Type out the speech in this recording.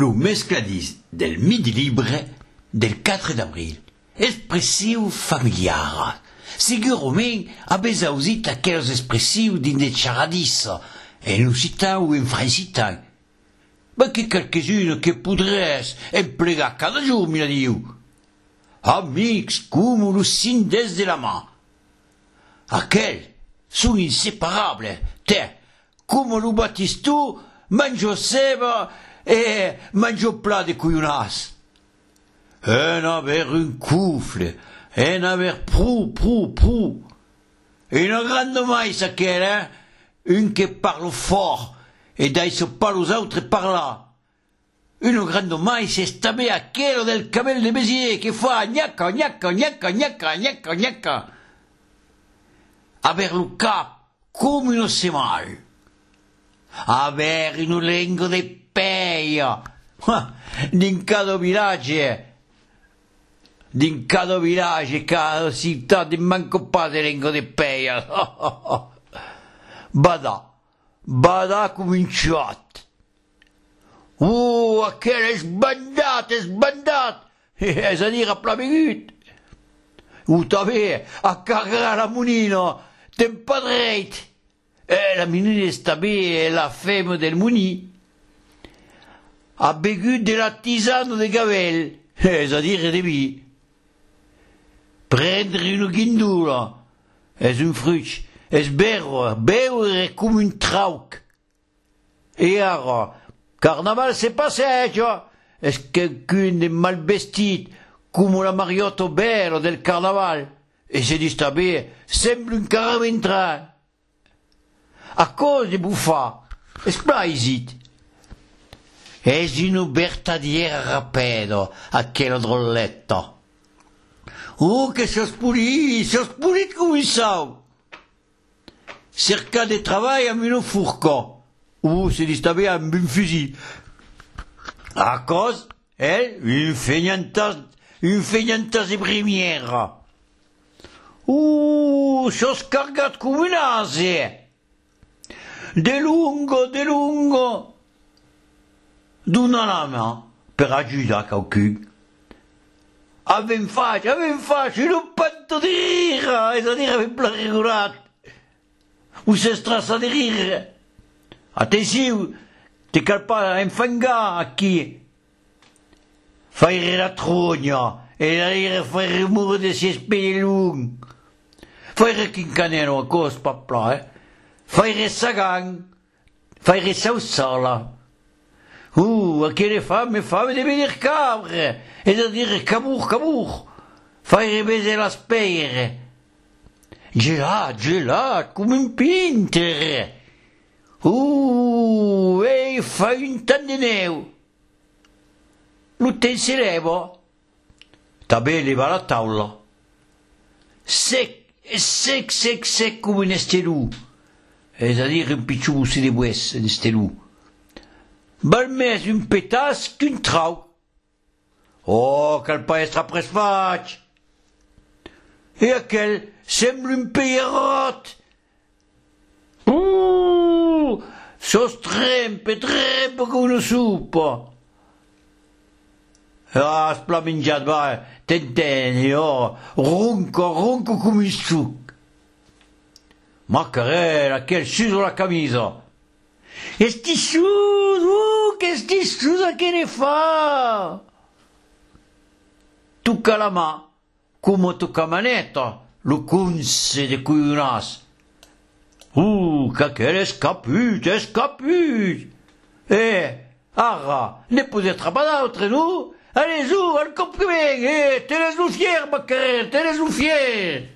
lo mescladis del Midi Libre del 4 d'abril. Espressiu familiar. Sicurament avès ausit aqueles espressius din de charadissa, en occitan ou en francitan. Ma que quelques-unes que podrès emplegar cada jour, mira diu. Amics com los cindes de la mà. Aquels són inseparables. Te, com lo batistó, manjo ceba e manjo plat de collonàs. En haver un couffle, en haver prou. Et un grand mais aquel, hein? Un que parle fort, et d'ailleurs pas aux autres parla. Un grand mais c'est també aquel del camel de Béziers qui fa gnaca. Haver le cap comme une semal. Haver une lengua de peia. Din cada village, cada città, di manco pas de lengua de peia. Bada cominciat. Aquel és bandat. És a dir, a pla begut. També, a carregar la monina, ten pa dreit. La monina és també la femme del moni. A begut de la tisane de gavel, és a dir, de vi. Prendre una guindula, és un fruit. És beure com un trauc. E ara, carnaval se passeja, és quelqu'un de mal vestit, com la Mariotto Bello del carnaval, e se dis també, sembla un caraventran. A cos de buffar, esplaisit. És una vertadiera rapido, aquella drolletta. Que s'has polit com un sau. Cerca de treball amb una furca. Se dis també amb un fusil. A cos, un feignantas de brimiera. S'has cargat com un ase. De lungo. Dona la mà per ajudar qualcun. Avem faig, un panto de rire, és a dir, avem plarigolat. S'estrassa de rire. Atenció, te cal pas enfangar aquí. Faire la trogna, e a dire faire rumore de si spellung. Faire quincanero a cos, papla, Faire sagang, faire sausala. Aquelle femme de venir cabre, és a dir, cabour. Faire baiser la spere. Gelat, com un pinter. Fa un tant de neu. L'hotel se leva. També leva la taula. Sec com un estelú. És a dir, un pitjor bussi de bues, un estelú. Val més un petas qu'un trau. Cal pa estra pres faig. E aquel sembla un peirot. Sos trempe com una sopa. Has pla menjat, va, t'entén, ronco com un suc. Macarel, aquel suso la camisa. Esti susa che ne fa? Tocca la mà, come tocca manetta, lo cunse de collonàs. Qu'aquel és caput. Ara, ne peut-être pas d'autre, non? Allez, al compriments, te les fier, Macarel, te les fier.